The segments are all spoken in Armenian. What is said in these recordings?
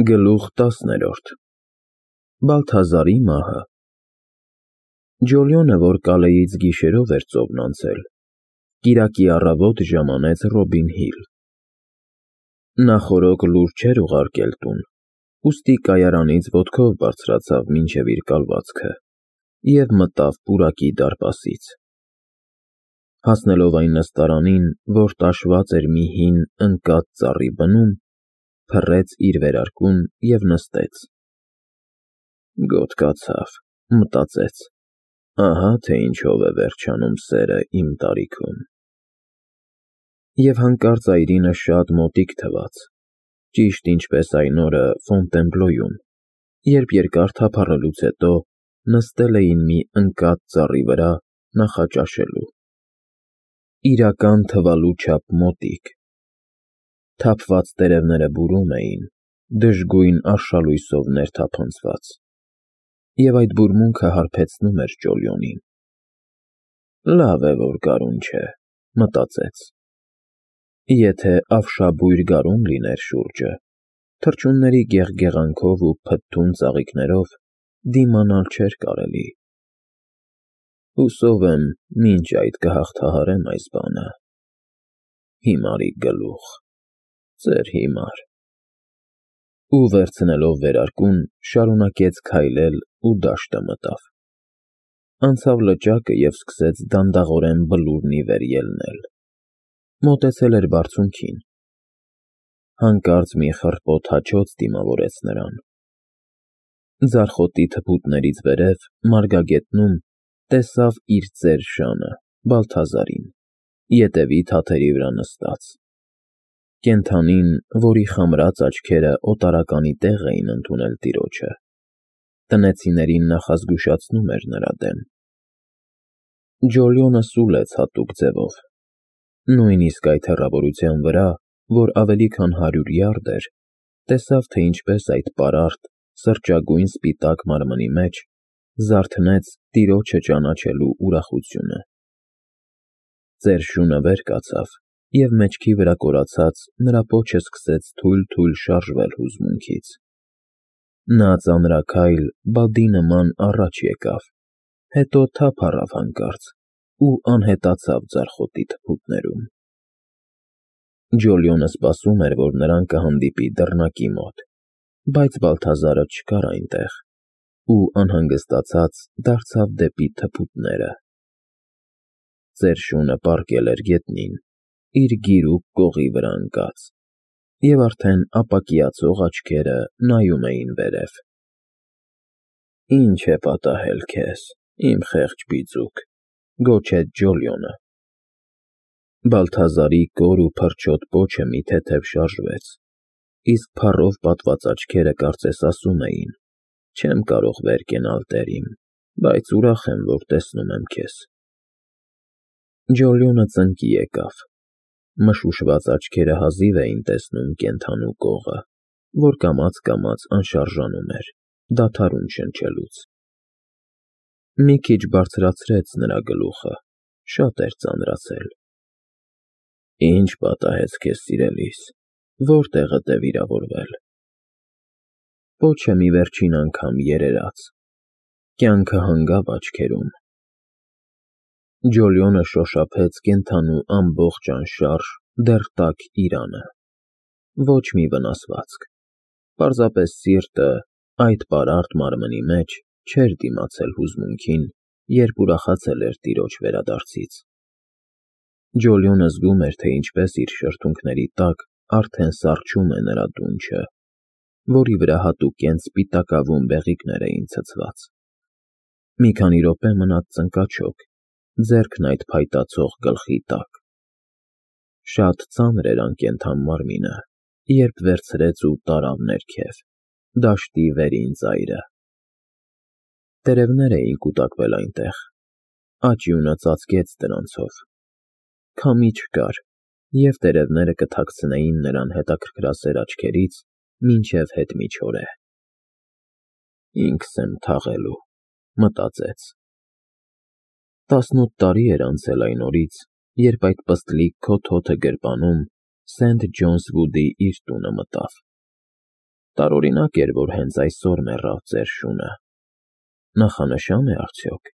Գլուխ 10 Բալթազարի մահը Ջոլիոնը, որ Կալեյից գիշերով էր ծովն անցել, կիրակի առավոտ ժամանեց Ռոբին Հիլ։ Նա խորոք լուր չէր ուղարկել տուն, ուստի կայարանից ոտքով բարձրացավ մինչև իր կալվածքը և մտավ պուրակի դարպասից։ Հասնելով այն նստարանին, որ տաշված էր մի հին ընկած ծառի բնում, փռեց իր վերարկուն և նստեց։ «Գոթ կացավ», մտածեց, ահա թե ինչով է վերջանում սերը իմ տարիքում։ Եվ հանկարծ այրինը շատ մոտիկ թվաց, ճիշտ ինչպես այն օրը Ֆոնտենբլոյում, երբ երկար թափառելուց հետո նստել էին մի ընկած ծառի վրա նախաճաշելու։ Իրական թվալու չափ մոտիկ։ Թափված տերևները բուրում էին, դժգույն արշալույսով ներթափանցված, և այդ բուրմունքը հարբեցնում էր Ջոլիոնին։ «Լավ է, որ գարուն չէ», մտածեց։ Եթե ավշաբույր գարուն լիներ շուրջը, թռչունների գեղգեղանքով ու փթթուն ծաղիկներով դիմանալ չէր կարելի։ Հուսով եմ, մինչ այդ կհաղթահարեմ այս բանը։ Հիմարի գլուխ, ծեր հիմար։ Ու վերցնելով վերարկուն, շարունակեց քայլել ու դաշտը մտավ։ Անցավ լճակը և սկսեց դանդաղորեն բլուրն ի վեր ելնել։ Մոտեցել էր բարձունքին։ Հանկարծ մի խռպոտ հաչոց դիմավորեց նրան։ Ձարխոտի թփուտներից վերև, մարգագետնում, տեսավ իր ծեր շանը՝ Բալթազարին, ետևի թաթերի վրա նստած։ Կենդանին, որի խամրած աչքերը օտարականի տեղ էին ընդունել տիրոջը, տնեցիներին նախազգուշացնում էր նրա դեմ։ Ջոլիոնը սուլեց հատուկ ձևով։ Նույնիսկ այդ հեռավորության վրա, որ ավելի քան 100 յարդ էր, տեսավ, թե ինչպես այդ պարարտ, սրճագույն սպիտակ մարմնի մեջ զարթնեց տիրոջը ճանաչելու ուրախությունը։ Ծեր շունը վեր կացավ, և մեջքի վրա կորացած նրա պոչը սկսեց թույլ-թույլ շարժվել հուզմունքից։ Նա ծանրաքայլ, բադի նման առաջ եկավ, հետո թափ առավ հանկարծ ու անհետացավ ձարխոտի թփուտներում։ Ջոլիոնը սպասում էր, որ նրան կհանդիպի դռնակի մոտ, բայց Բալթազարը չկար այնտեղ, ու անհանգստացած դարձավ դեպի թփուտները։ Ծեր շունը պառկել էր գետնին, իր գիրուկ կողի վրա ընկած, և արդեն ապակիացող աչքերը նայում էին վերև։ «Ինչ է պատահել քեզ, իմ խեղճ բիծուկ», գոչեց Ջոլիոնը։ Բալթազարի կոր ու փրչոտ պոչը մի թեթև շարժվեց, իսկ փառով պատված աչքերը կարծես ասում էին. «Չեմ կարող վեր կենալ, տեր իմ, բայց ուրախ եմ, որ տեսնում եմ քեզ»։ Ջոլիոնը ծնկի եկավ։ Մշուշված աչքերը հազիվ էին տեսնում կենդանու կողը, որ կամաց անշարժանում էր, դադարում շնչելուց։ Մի քիչ բարձրացրեց նրա գլուխը, շատ էր ծանրացել։ «Ինչ պատահեց քեզ, սիրելիս, որտեղդ է վիրավորվել»։ Պոչը մի վերջին անգամ երերաց։ Կյանքը հանգավ աչքերում։ Ջոլիոնը շոշափեց կենդանու ամբողջ անշարժ, դեռ տաք իրանը։ Ոչ մի վնասվածք։ Պարզապես սիրտը, այդ պարարտ մարմնի մեջ, չէր դիմացել հուզմունքին, երբ ուրախացել էր տիրոջ վերադարձից։ Ջոլիոնը զգում էր, թե ինչպես իր շրթունքների տակ արդեն սառչում է նրա դունչը, որի վրա հատուկենտ սպիտակավուն բեղիկներ էին ցցված։ Մի քանի րոպե մնաց ծնկաչոք, ձեռքն այդ փայտացող գլխի տակ։ Շատ ծանր էր անկենդան մարմինը, երբ վերցրեց ու տարավ ներքև, դաշտի վերին ծայրը։ Տերևներ էին կուտակվել այնտեղ, աճյունը ծածկեց դրանցով։ Քամի չկար, և տերևները կթաքցնեին նրան հետաքրքրասեր աչքերից մինչև հետ միջօրե։ «Ինքս եմ թաղելու», մտածեց։ 18 տարի էր անցել այն օրից, երբ այդ պստլիկ քոթոթը գրպանում Սենթ Ջոնս Վուդի իր տունը մտավ։ Տարօրինակ էր, որ հենց այսօր մեռավ ձեր շունը։ Նախանշա՞ն է արդյոք։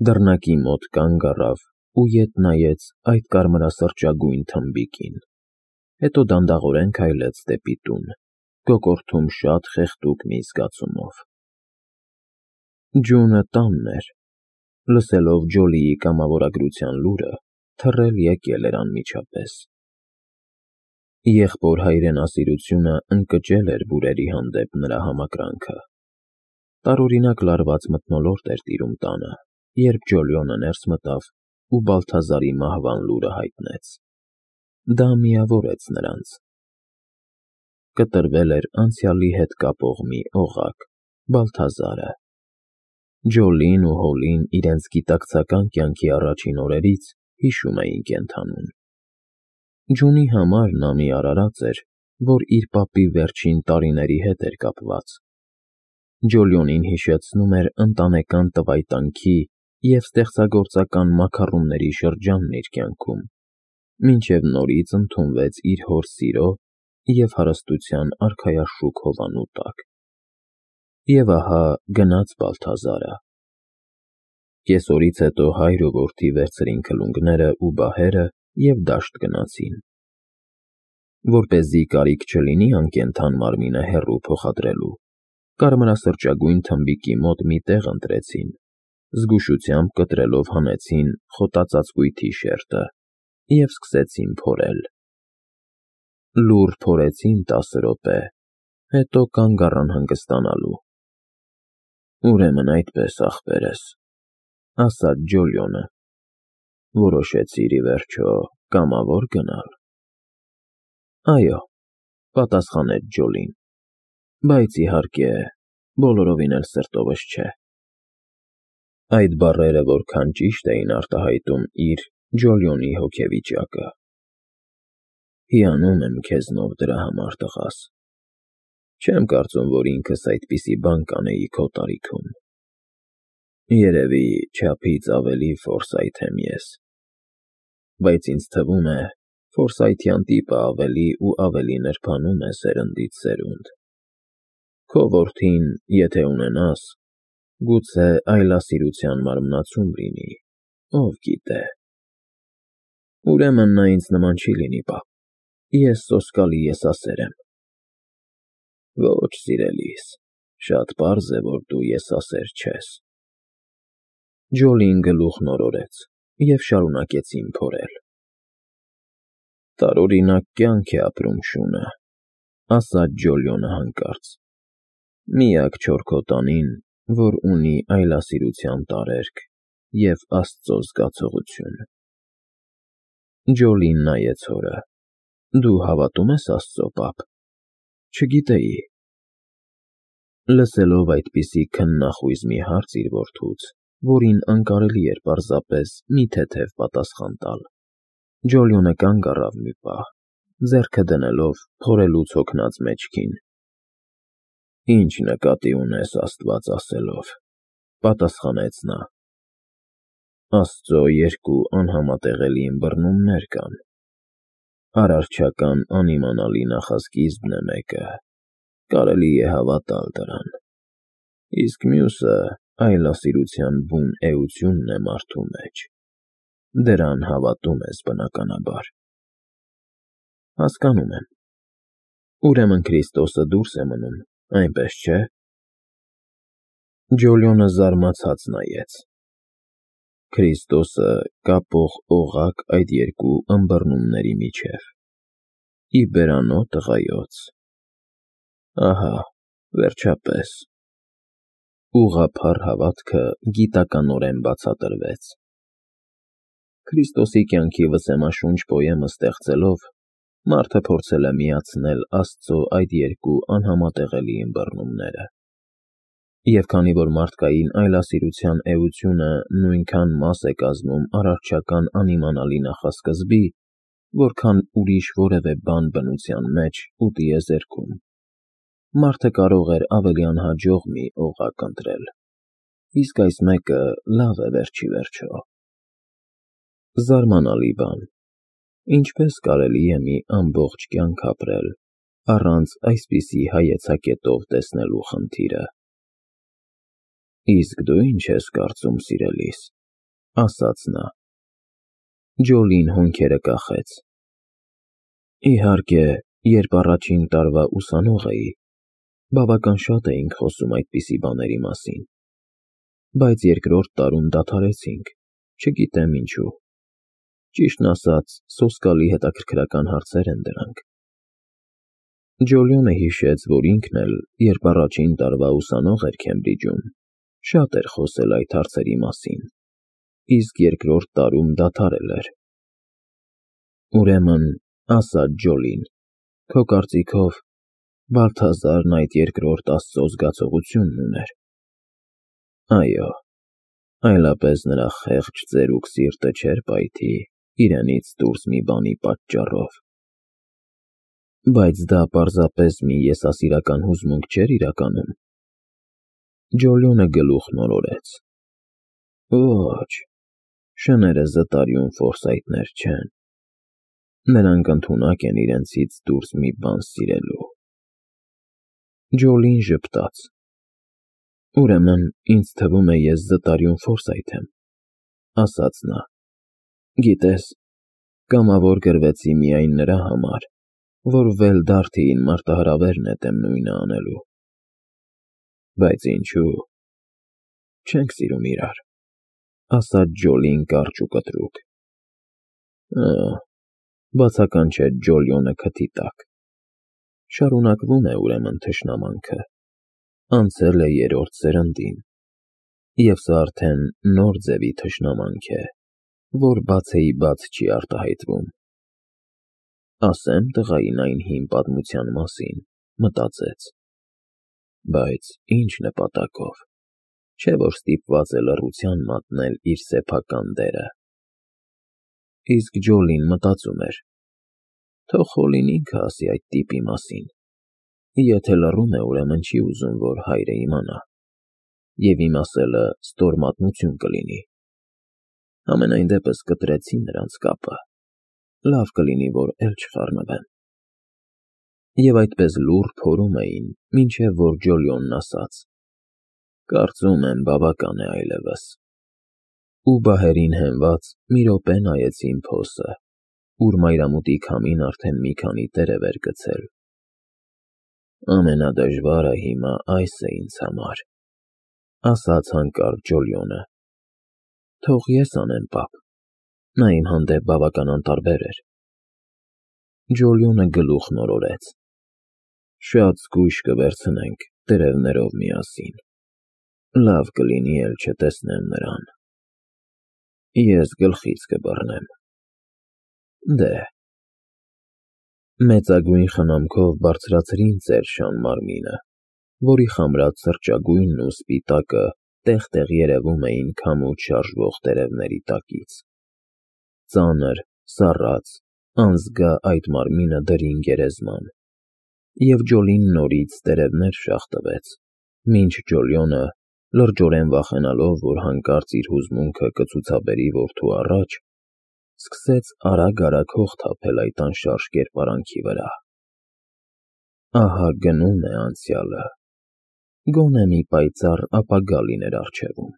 Դռնակի մոտ կանգ առավ ու ետ նայեց այդ կարմրասրճագույն թմբիկին, հետո դանդաղորեն քայլեց դեպի տուն, կոկորդում շատ խեղդուկ մի զգացումով։ Ջունը տանն էր, լսելով Ջոլիի կամավորագրության լուրը, թռել եկել էր անմիջապես։ Եղբոր հայրենասիրությունը ընկճել էր բուրերի հանդեպ նրա համակրանքը։ Տարօրինակ լարված մթնոլորտ էր տիրում տանը, երբ Ջոլիոնը ներս մտավ ու Բալթազարի մահվան լուրը հայտնեց։ Դա միավորեց նրանց։ Կտրվել էր անցյալի հետ կապող մի օղակ՝ Բալթազարը։ Ջոլին ու Հոլին իրենց գիտակցական կյանքի առաջին օրերից հիշում էին կենդանուն։ Ջունի համար նա մի արարած էր, որ իր պապի վերջին տարիների հետ էր կապված։ Ջոլիոնին հիշեցնում էր ընտանեկան տվայտանքի և ստեղծագործական մաքառումների շրջանն իր կյանքում, մինչև նորից ընդունվեց իր հոր սիրո և հարստության արքայաշուք հովանու տակ։ Եվ ահա գնաց Բալթազարը։ Կեսօրից հետո հայր ու որդի վերցրին քլունգները ու բահերը և դաշտ գնացին։ Որպեսզի կարիք չլինի անկենդան մարմինը հեռու փոխադրելու, կարմրասրճագույն թմբիկի մոտ մի տեղ ընտրեցին, զգուշությամբ կտրելով հանեցին խոտածածկույթի շերտը և սկսեցին փորել։ Լուռ փորեցին 10 րոպե, հետո կանգ առան հանգստանալու։ «Ուրեմն այդպես, ախպերս», ասաց Ջոլիոնը, որոշեցիր ի վերջո կամավոր գնալ։ «Այո», պատասխանեց Ջոլին, բայց իհարկե, բոլորովին էլ սրտովս չէ։ Այդ բառերը որքան ճիշտ էին արտահայտում իր Ջոլիոնի հոգեվիճակը։ Հիանում եմ քեզնով դրա համար, տղաս։ Չեմ կարծում, որ ինքս այդպիսի բան կանեի քո տարիքում։ Երևի չափից ավելի ֆորսայթ եմ ես, բայց ինձ թվում է, ֆորսայթյան տիպը ավելի ու ավելի նրբանում է սերնդից սերունդ։ Քո որդին, եթե ունենաս, գուցե այլասիրության մարմնացում լինի, ով գիտե։ Ուրեմն նա ինձ նման չի լինի, պապ, ես սոսկալի եսասեր եմ։ Ոչ, սիրելիս, շատ պարզ է, որ դու եսասեր չես։ Ջոլին գլուխն օրորեց և շարունակեցին փորել։ Տարօրինակ կյանք է ապրում շունը, ասաց Ջոլիոնը հանկարծ, միակ չորքոտանին, որ ունի այլասիրության տարերկ և Աստծո զգացողություն։ Ջոլին նայեց հորը։ Դու հավատում ես Աստծո, պապ։ Չգիտեի։ Լսելով այդպիսի քննախույզ մի հարց իր որդուց, որին անկարելի էր պարզապես մի թեթև պատասխան տալ, Ջոլիոնը կանգ առավ մի պահ, ձեռքը դնելով փորելուց հոգնած մեջքին։ Ինչ նկատի ունես Աստված ասելով, պատասխանեց նա։ Աստծո երկու անհամատեղելի ըմբռնումներ կան։ Արարչական անիմանալի նախասկիզբն է մեկը, կարելի է հավատալ դրան, իսկ մյուսը այլասիրության բուն էությունն է մարդու մեջ։ Դրան հավատում ես բնականաբար։ Հասկանում եմ։ Ուրեմն Քրիստոսը դուրս է մնում, այնպես չէ՞։ Ջոլիոնը զարմացած նայեց։ Քրիստոսը կապող օղակ այդ երկու ըմբռնումների միջև։ Ի բերանո տղայոց։ Ահա, վերջապես։ Ուղղափառ հավատքը գիտականորեն բացատրվեց։ Քրիստոսի կյանքի վսեմաշունչ պոեմը ստեղծելով, մարդը փորձել է միացնել Աստծո այդ երկու անհամատեղելի ըմբռնումները։ Եվ քանի որ մարդկային այլասիրության էությունը նույնքան մաս է կազմում արարչական անիմանալի նախասկզբի, որքան ուրիշ որևէ բան բնության մեջ ու տիեզերքում, մարդը կարող էր ավելի անհաջող մի օղակ ընտրել, իսկ այս մեկը լավ է վերջի վերջո։ Զարմանալի բան, ինչպես կարելի է մի ամբողջ կյանք ապրել առանց այսպիսի հայեցակետով տեսնելու խնդիրը։ Իսկ դու ինչ ես կարծում, սիրելիս, ասաց նա։ Ջոլին հոնքերը կախեց։ Իհարկե, երբ առաջին տարվա ուսանող էի, բավական շատ էինք խոսում այդպիսի բաների մասին, բայց երկրորդ տարում դադարեցինք, չգիտեմ ինչու։ Ճիշտն ասած, սոսկալի հետաքրքրական հարցեր են դրանք։ Ջոլիոնը հիշեց, որ ինքն էլ, երբ առաջին տարվա ուսանող էր Քեմբրիջում, շատ էր խոսել այդ հարցերի մասին, իսկ երկրորդ տարում դադարել էր։ Ուրեմն, ասաց Ջոլին, քո կարծիքով Բալթազարն այդ երկրորդ Աստծո զգացողությունն ուներ։ Այո, այլապես նրա խեղճ ծերուկ սիրտը չէր պայթի իրենից դուրս մի բանի պատճառով։ Բայց դա պարզապես մի եսասիրական հուզմունք չէր իրականում։ Ջոլիոնը գլուխ նորորեց։ Ոչ, շները զտարյուն ֆորսայթներ չեն։ Նրանք ընդունակ են իրենցից դուրս մի բան սիրելու։ Ջոլին ժպտաց։ Ուրեմն, ինձ թվում է ես զտարյուն ֆորսայթ եմ, ասաց նա։ Գիտես, կամավոր գրվեցի միայն նրա համար, որ Վելդարթիին մարտահրավեր նետեմ նույնը անելու։ Բայց ինչու։ Չենք սիրում իրար, ասաց Ջոլին կարճ ու կտրուկ։ Բացականչեց Ջոլիոնը քթի տակ։ Շարունակվում է ուրեմն թշնամանքը, անցել է երրորդ սերնդին, և սա արդեն նոր ձևի թշնամանք է, որ բացեի բաց չի արտահայտվում։ Ասեմ տղային այն հին պատմության մասին, մտածեց։ Բայց ինչ նպատակով, չէ որ ստիպված է լռության մատնել իր սեփական դերը։ Իսկ Ջոլին մտածում էր. թող Խոլին ինքը ասի այդ տիպի մասին, եթե լռում է, ուրեմն չի ուզում, որ հայրը իմանա, և իմ ասելը ստոր մատնություն կլինի։ Համենայն դեպս կտրեցի նրանց կապը, լավ կլինի, որ էլ չխառնվեն։ Եվ այդպես լուռ փորում էին, մինչև որ Ջոլիոնն ասաց. կարծում եմ բավական է այլևս։ Ու բահերին հենված մի րոպե նայեց իմ փոսը, ուր մայրամուտի քամին արդեն մի քանի տերև էր գցել։ Ամենադժվարը հիմա այս է ինձ համար, ասաց հանկարծ Ջոլիոնը։ Թող ես անեմ, պապ։ Նա իմ հանդեպ բավական անտարբեր էր։ Ջոլիոնը գլուխ նորորեց։ Շատ զգույշ կվերցնենք տերևներով միասին։ Լավ կլինի էլ չտեսնեմ նրան։ Ես գլխից կբռնեմ։ Դե։ Մեծագույն խնամքով բարձրացրին Սերժան մարմինը, որի խամրած սրճագույնն ու սպիտակը տեղ-տեղ երևում էին քամուց շարժվող տերևների տակից։ Ծանր, սառած, անզգա այդ մարմինը դրին գերեզման, և Ջոլին նորից տերևներ շաղ տվեց, մինչ Ջոլիոնը, լրջորեն վախենալով, որ հանկարծ իր հուզմունքը կցուցաբերի որդու առաջ, սկսեց արագ-արագ հող թափել այդ անշարժ կերպարանքի վրա։ Ահա գնում է անցյալը, գոնե մի պայծառ ապագա լիներ առջևում։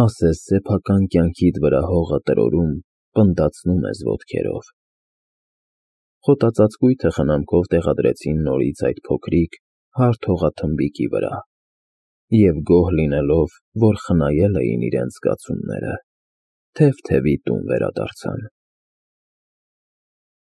Ասես սեփական կյանքիդ վրա հողը տրորում, պնդացնում ես ոտքերով։ Խոտածածկույթը խնամքով տեղադրեցին նորից այդ փոքրիկ, հարթ հողաթմբիկի վրա, և գոհ լինելով, որ խնայել էին իրենց զգացումները, թև-թևի տուն վերադարձան։